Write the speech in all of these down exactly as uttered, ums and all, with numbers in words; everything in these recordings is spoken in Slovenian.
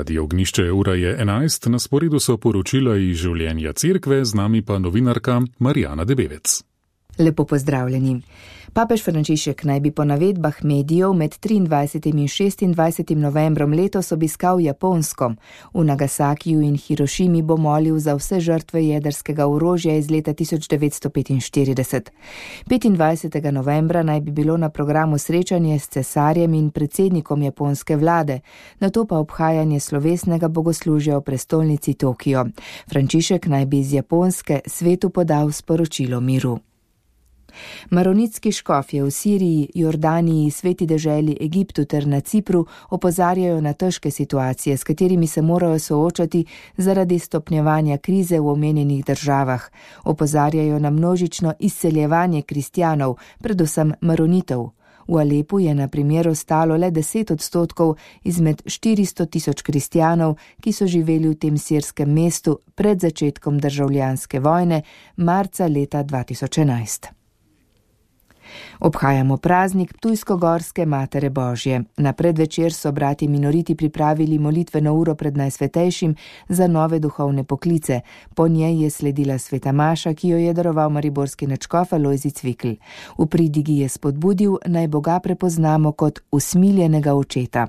Radio Ognjišče, ura je enajst, na sporedu so poročila iz življenja cerkve, z nami pa novinarka Marijana Debevec. Lepo pozdravljeni. Papež Frančišek naj bi po navedbah medijev med triindvajsetim in šestindvajsetim novembrom letos obiskal Japonsko. V Nagasakiju in Hirošimi bo molil za vse žrtve jedrskega orožja iz leta tisoč devetsto petinštirideset. petindvajsetega novembra naj bi bilo na programu srečanje s cesarjem in predsednikom japonske vlade, nato pa obhajanje slovesnega bogoslužja v prestolnici Tokio. Frančišek naj bi iz Japonske svetu podal sporočilo miru. Maronitski škofje v Siriji, Jordaniji, Sveti deželi, Egiptu ter na Cipru opozarjajo na težke situacije, s katerimi se morajo soočati zaradi stopnjevanja krize v omenjenih državah. Opozarjajo na množično izseljevanje kristjanov, predvsem maronitov. V Alepu je na primer ostalo le deset odstotkov izmed štiristo tisoč kristjanov, ki so živeli v tem sirskem mestu pred začetkom državljanske vojne marca leta dva tisoč enajst. Obhajamo praznik Ptujsko-gorske Matere Božje. Na predvečer so brati minoriti pripravili molitveno uro pred Najsvetejšim za nove duhovne poklice. Po njej je sledila sveta maša, ki jo je daroval mariborski nadškof Alojzij Cvikl. V pridigi je spodbudil, naj Boga prepoznamo kot usmiljenega očeta.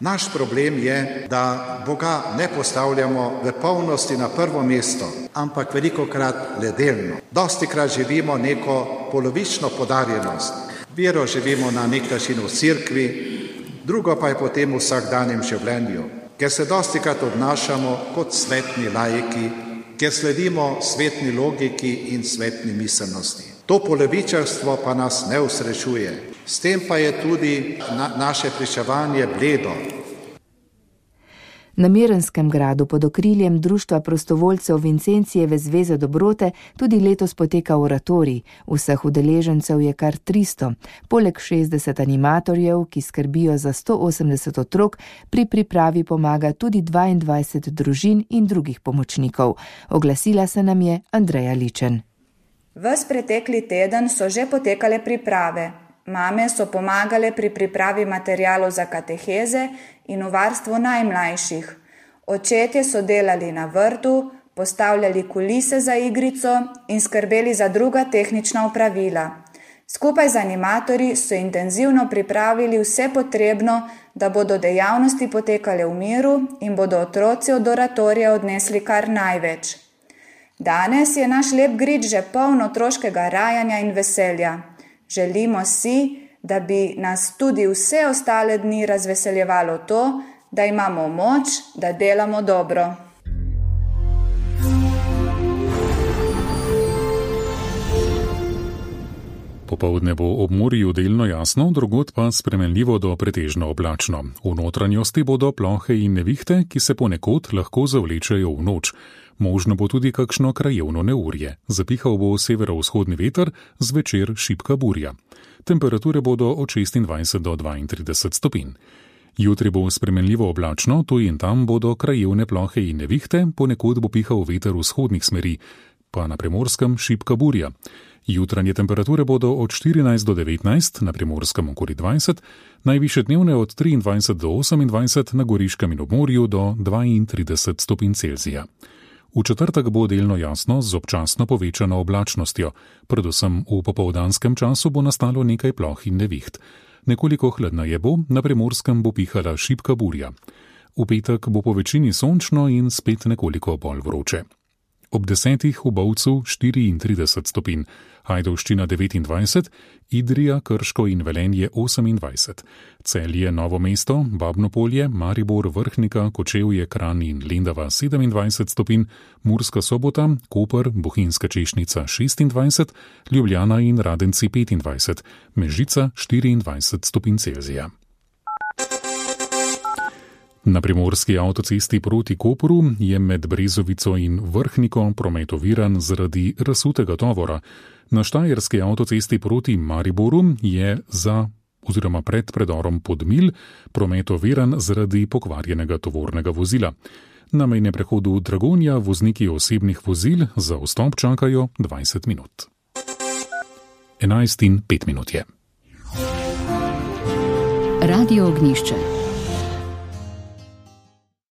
Naš problem je, da Boga ne postavljamo v polnosti na prvo mesto, ampak velikokrat le delno. Dostikrat živimo neko polovično podarjenost. Vero živimo na nek način v cerkvi, drugo pa je potem v vsakdanjem življenju, ker se dostikrat obnašamo kot svetni laiki, ker sledimo svetni logiki in svetni miselnosti. To polovičarstvo pa nas ne usrečuje. S tem pa je tudi na, naše pričevanje bledo. Na Mirnskem gradu pod okriljem Društva prostovoljcev Vincencijeve zveze dobrote tudi letos poteka oratorij. Vseh udeležencev je kar tristo. Poleg šestdeset animatorjev, ki skrbijo za sto osemdeset otrok, pri pripravi pomaga tudi dvaindvajset družin in drugih pomočnikov. Oglasila se nam je Andreja Ličen. Ves pretekli teden so že potekale priprave. Mame so pomagale pri pripravi materialov za kateheze in v varstvu najmlajših. Očetje so delali na vrtu, postavljali kulise za igrico in skrbeli za druga tehnična opravila. Skupaj z animatorji so intenzivno pripravili vse potrebno, da bodo dejavnosti potekale v miru in bodo otroci od oratorija odnesli kar največ. Danes je naš lep grič že poln otroškega rajanja in veselja. Želimo si, da bi nas tudi vse ostale dni razveseljevalo to, da imamo moč, da delamo dobro. Popoldne bo ob morju delno jasno, drugod pa spremenljivo do pretežno oblačno. V notranjosti bodo plohe in nevihte, ki se ponekod lahko zavlečejo v noč. Možno bo tudi kakšno krajevno neurje. Zapihal bo severovzhodni veter, zvečer šibka burja. Temperature bodo od šestindvajset do dvaintrideset stopinj. Jutri bo spremenljivo oblačno, tu in tam bodo krajevne plohe in nevihte, ponekod bo pihal veter vzhodnih smeri, pa na Primorskem šibka burja. Jutranje temperature bodo od štirinajst do devetnajst, na Primorskem okoli dvajset, najvišje dnevne od triindvajset do osemindvajset, na Goriškem in ob morju do dvaintrideset stopinj Celzija. V četrtek bo delno jasno z občasno povečano oblačnostjo. Predvsem v popoldanskem času bo nastalo nekaj ploh in neviht. Nekoliko hladneje bo, na Primorskem bo pihala šibka burja. V petek bo po večini sončno in spet nekoliko bolj vroče. Ob desetih v Bovcu štiriintrideset stopinj, Ajdovščina devetindvajset, Idrija, Krško in Velenje osemindvajset, Celje, Novo mesto, Babno Polje, Maribor, Vrhnika, Kočevje, Kranj in Lendava sedemindvajset stopinj, Murska Sobota, Koper, Bohinjska Češnica šestindvajset, Ljubljana in Radenci petindvajset, Mežica štiriindvajset stopinj Celzija. Na primorski avtocesti proti Kopru je med Brezovico in Vrhniko promet oviran zaradi razsutega tovora. Na štajerski avtocesti proti Mariboru je za oziroma pred predorom Podmilj promet oviran zaradi pokvarjenega tovornega vozila. Na mejnem prehodu Dragonja vozniki osebnih vozil za vstop čakajo dvajset minut. enajst in pet minut je. Radio Ognjišče.